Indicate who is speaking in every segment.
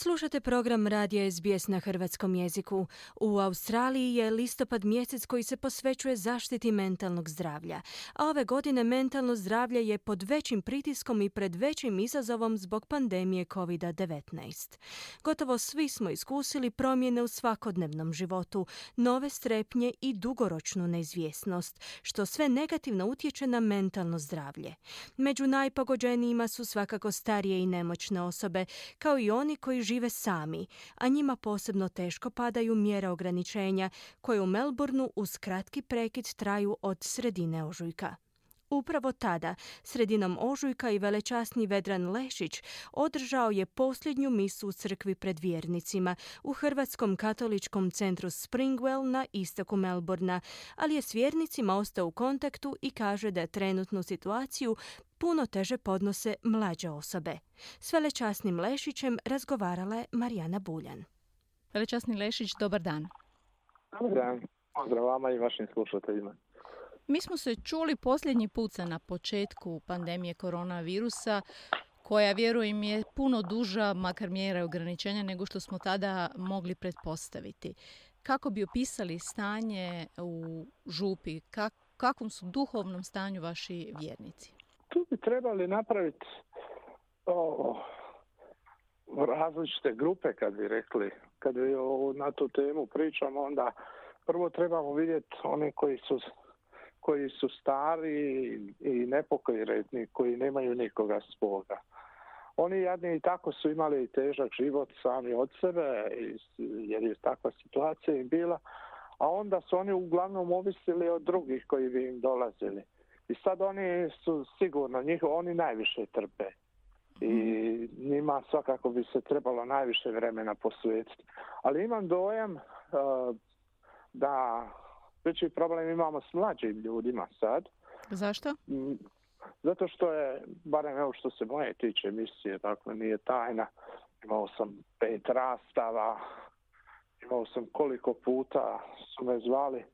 Speaker 1: Slušate program Radija SBS na hrvatskom jeziku. U Australiji je listopad mjesec koji se posvećuje zaštiti mentalnog zdravlja. A ove godine mentalno zdravlje je pod većim pritiskom i pred većim izazovom zbog pandemije COVID-19. Gotovo svi smo iskusili promjene u svakodnevnom životu, nove strepnje i dugoročnu neizvjesnost, što sve negativno utječe na mentalno zdravlje. Među najpogođenijima su svakako starije i nemoćne osobe, kao i oni koji žive sami, a njima posebno teško padaju mjere ograničenja koje u Melbourneu uz kratki prekid traju od sredine ožujka. Upravo tada, sredinom ožujka i velečasni Vedran Lešić održao je posljednju misu u crkvi pred vjernicima u Hrvatskom katoličkom centru Springwell na istoku Melbourna, ali je s vjernicima ostao u kontaktu i kaže da trenutnu situaciju puno teže podnose mlađe osobe. S velečasnim Lešićem razgovarala je Marijana Buljan.
Speaker 2: Velečasni Lešić, dobar dan.
Speaker 3: Dobar dan. Pozdrav vama i vašim slušateljima.
Speaker 2: Mi smo se čuli posljednji puta na početku pandemije koronavirusa, koja, vjerujem, je puno duža, makar mjera ograničenja, nego što smo tada mogli pretpostaviti. Kako bi opisali stanje u župi? Kakvom su duhovnom stanju vaši vjernici?
Speaker 3: Tu bi trebali napraviti različite grupe, kad bi rekli. Kad na tu temu pričamo, onda prvo trebamo vidjeti one koji su stari i nepokretni, koji nemaju nikoga svoga. Oni jadni i tako su imali težak život sami od sebe, jer je takva situacija im bila, a onda su oni uglavnom ovisili od drugih koji bi im dolazili. I sad oni su sigurno, oni najviše trpe. I njima svakako bi se trebalo najviše vremena posvetiti. Ali imam dojam da veći problem imamo s mlađim ljudima sad.
Speaker 2: Zašto?
Speaker 3: Zato što je, barem evo što se moje tiče emisije, dakle nije tajna, imao sam 5 rastava, imao sam koliko puta su me zvali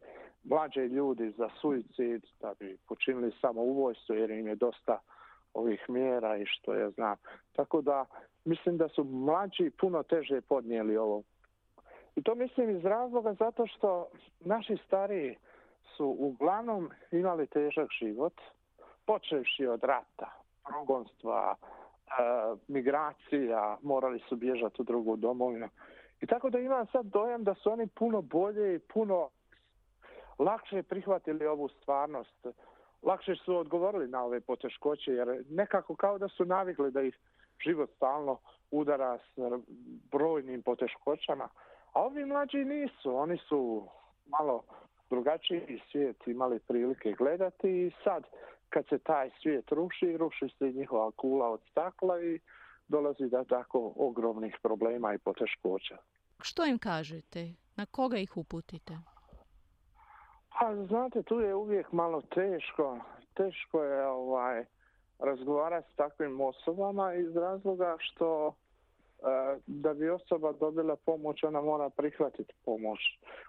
Speaker 3: mlađe ljudi za suicid, da bi počinili samoubojstvo jer im je dosta ovih mjera i što ja znam. Tako da mislim da su mlađi puno teže podnijeli ovo. I to mislim iz razloga zato što naši stariji su uglavnom imali težak život, počevši od rata, progonstva, migracija, morali su bježati u drugu domovinu. I tako da imam sad dojam da su oni puno bolje i puno lakše prihvatili ovu stvarnost. Lakše su odgovorili na ove poteškoće, jer nekako kao da su navikli da ih život stalno udara s brojnim poteškoćama. A ovi mlađi nisu, oni su malo drugačiji svijet imali prilike gledati i sad kad se taj svijet ruši se njihova kula od stakla i dolazi do tako ogromnih problema i poteškoća.
Speaker 2: Što im kažete? Na koga ih uputite?
Speaker 3: Pa znate, tu je uvijek malo teško je razgovarati s takvim osobama iz razloga što da bi osoba dobila pomoć, ona mora prihvatiti pomoć.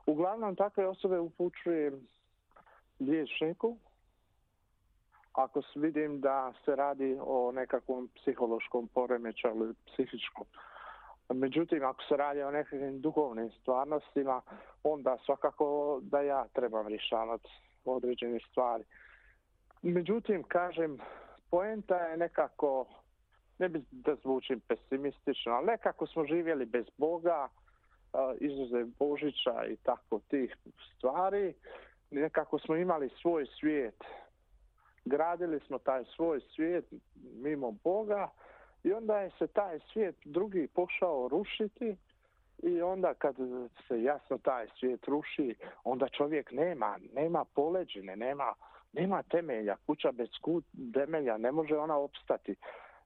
Speaker 3: Uglavnom takve osobe upućujem liječniku ako vidim da se radi o nekakvom psihološkom poremećaju ili psihičkom. Međutim, ako se radi o nekakvim duhovnim stvarnostima, onda svakako da ja trebam rješavati određene stvari. Međutim, kažem, poenta je nekako, ne bi da zvučim pesimistično, ali nekako smo živjeli bez Boga, izuzev Božića i tako tih stvari. Nekako smo imali svoj svijet. Gradili smo taj svoj svijet mimo Boga i onda je se taj svijet drugi pošao rušiti i onda kad se jasno taj svijet ruši, onda čovjek nema poleđine, nema temelja. Kuća bez temelja ne može ona opstati.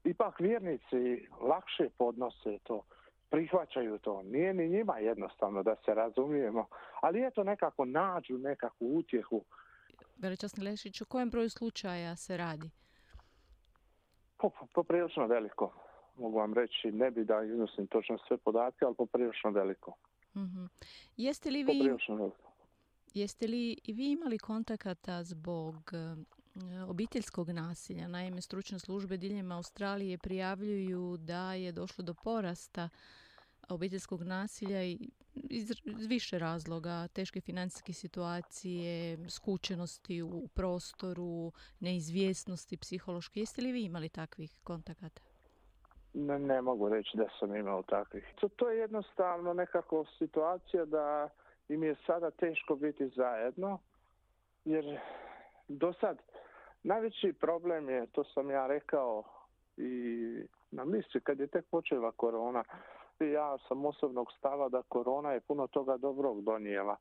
Speaker 3: Ipak vjernici lakše podnose to, prihvaćaju to. Nije ni njima jednostavno, da se razumijemo, ali eto nekako nađu nekakvu utjehu.
Speaker 2: Velečasni Lešić, o kojem broju slučaja se radi?
Speaker 3: Poprilično veliko, mogu vam reći. Ne bi da iznosim točno sve podatke, ali poprilično veliko.
Speaker 2: Mm-hmm. Jeste li i vi imali kontakata zbog obiteljskog nasilja? Naime, stručne službe diljem Australije prijavljuju da je došlo do porasta obiteljskog nasilja iz više razloga, teške financijske situacije, skučenosti u prostoru, neizvjesnosti psihološke. Jeste li vi imali takvih kontakata?
Speaker 3: Ne mogu reći da sam imao takvih. To je jednostavno nekako situacija da im je sada teško biti zajedno, jer do sad najveći problem je, to sam ja rekao i na misli kad je tek počela korona, ja sam osobnog stava da korona je puno toga dobrog donijela,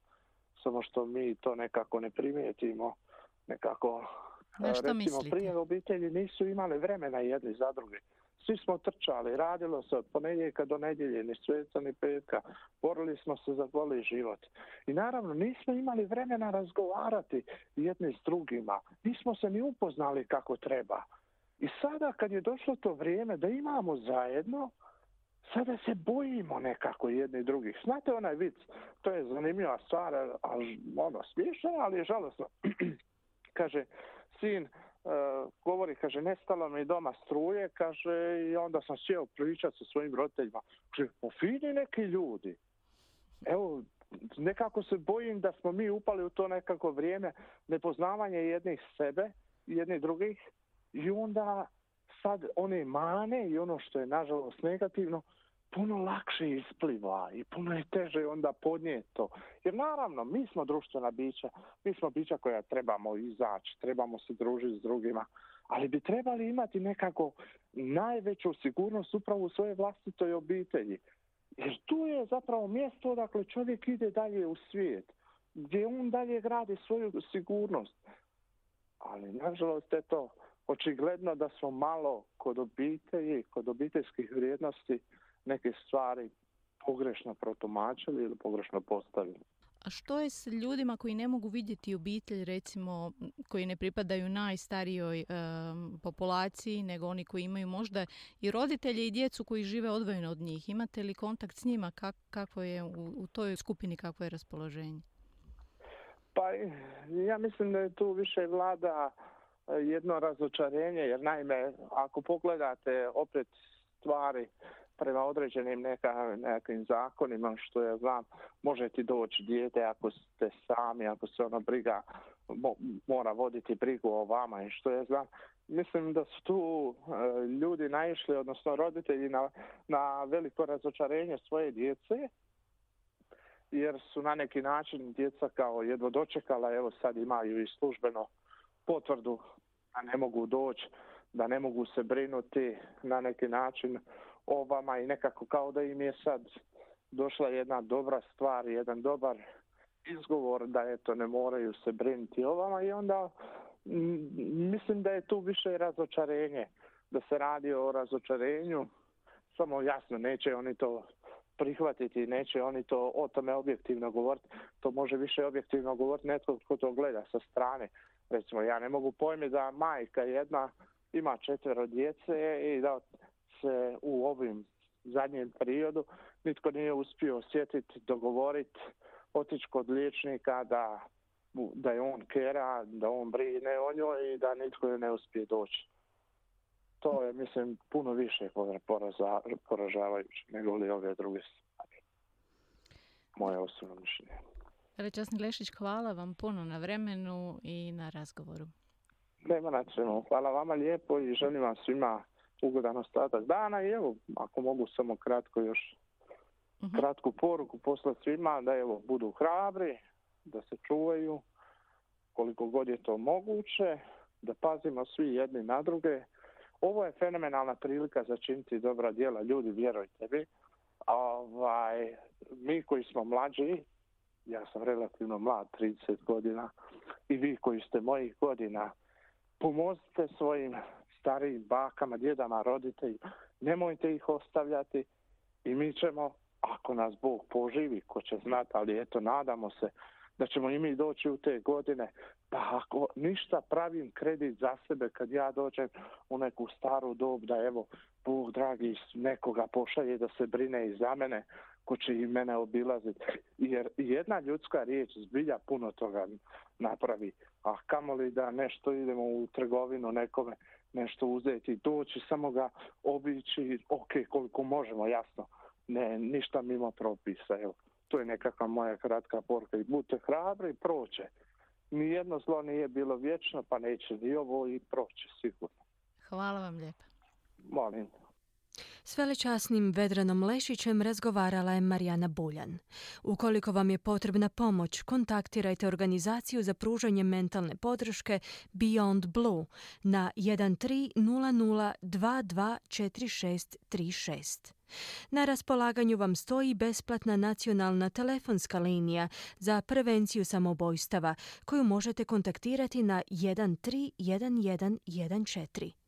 Speaker 3: samo što mi to nekako ne primijetimo. Nekako,
Speaker 2: recimo,
Speaker 3: mislite? Prije obitelji nisu imale vremena jedni za druge. Svi smo trčali, radilo se od ponedjeljka do nedjelje, ni sveca ni petka, borili smo se za goli život. I naravno nismo imali vremena razgovarati jedni s drugima, nismo se ni upoznali kako treba. I sada kad je došlo to vrijeme da imamo zajedno, sada se bojimo nekako jedni drugih. Znate onaj vic, to je zanimljiva stvar, smiješna, ali je žalosno. Kaže, sin govori, kaže, nestalo mi doma struje, kaže, i onda sam sjeo pričati sa svojim roditeljima. Kaže, fini neki ljudi. Evo, nekako se bojim da smo mi upali u to nekako vrijeme nepoznavanja jednih sebe, jednih drugih, i onda sad one mane i ono što je nažalost negativno puno lakše ispliva i puno je teže onda podnijeti to. Jer naravno, mi smo društvena bića, mi smo bića koja trebamo izaći, trebamo se družiti s drugima, ali bi trebali imati nekako najveću sigurnost upravo u svojoj vlastitoj obitelji. Jer tu je zapravo mjesto odakle čovjek ide dalje u svijet, gdje on dalje gradi svoju sigurnost. Ali nažalost je to očigledno da smo malo kod obitelji, kod obiteljskih vrijednosti neke stvari pogrešno protumačili ili pogrešno postavili.
Speaker 2: A što je s ljudima koji ne mogu vidjeti obitelj, recimo koji ne pripadaju najstarijoj populaciji, nego oni koji imaju možda i roditelje i djecu koji žive odvojeno od njih? Imate li kontakt s njima? Kako je u toj skupini, kakvo je raspoloženje?
Speaker 3: Pa ja mislim da je tu više vlada jedno razočarenje, jer naime, ako pogledate opet stvari prema određenim nekim zakonima, što ja znam, može ti doći dijete ako ste sami, ako se briga, mora voditi brigu o vama i što ja znam. Mislim da su tu ljudi naišli, odnosno roditelji, na veliko razočarenje svoje djece, jer su na neki način djeca kao jedva dočekala, evo sad imaju i službeno potvrdu da ne mogu doći, da ne mogu se brinuti na neki način o vama i nekako kao da im je sad došla jedna dobra stvar, jedan dobar izgovor da eto ne moraju se brinuti o vama i onda mislim da je tu više razočarenje, da se radi o razočarenju, samo jasno neće oni to prihvatiti, neće oni to o tome objektivno govoriti, to može više objektivno govoriti netko tko to gleda sa strane. Recimo, ja ne mogu pojmiti da majka jedna ima 4 djece i da se u ovim zadnjem periodu nitko nije uspio osjetiti, dogovoriti, otići kod liječnika da je on kera, da on brine o njoj i da nitko joj ne uspije doći. To je, mislim, puno više poražavajuće nego li ove druge stvari. Moje osobno mišljenje.
Speaker 2: Veličasni Glešić, hvala vam puno na vremenu i na razgovoru.
Speaker 3: Nema na čemu. Hvala vama lijepo i želim vam svima ugodan ostatak dana i evo, ako mogu samo kratko još kratku poruku poslati svima da evo budu hrabri, da se čuvaju koliko god je to moguće, da pazimo svi jedni na druge. Ovo je fenomenalna prilika za činiti dobra djela, ljudi, vjerujte mi. Mi koji smo mlađi, ja sam relativno mlad, 30 godina, i vi koji ste mojih godina, pomozite svojim starijim bakama, djedama, roditeljima, nemojte ih ostavljati i mi ćemo, ako nas Bog poživi, ko će znati, ali eto, nadamo se da ćemo i mi doći u te godine, pa ako ništa pravim kredit za sebe kad ja dođem u neku staru dob, da evo, Bog dragi nekoga pošalje da se brine i za mene, ko će i mene obilaziti. Jer jedna ljudska riječ zbilja puno toga napravi. A kamoli da nešto idemo u trgovinu nekome, nešto uzeti, doći, samo ga obići, ok, koliko možemo, jasno. ne, ništa mimo propisa. Evo, to je nekakva moja kratka poruka. I budite hrabri i proće. Nijedno zlo nije bilo vječno, pa neće ni ovo i proće sigurno.
Speaker 2: Hvala vam lijepa.
Speaker 3: Molim.
Speaker 1: S velečasnim Vedranom Lešićem razgovarala je Marijana Buljan. Ukoliko vam je potrebna pomoć, kontaktirajte organizaciju za pružanje mentalne podrške Beyond Blue na 1300224636. Na raspolaganju vam stoji besplatna nacionalna telefonska linija za prevenciju samoubojstava koju možete kontaktirati na 131114.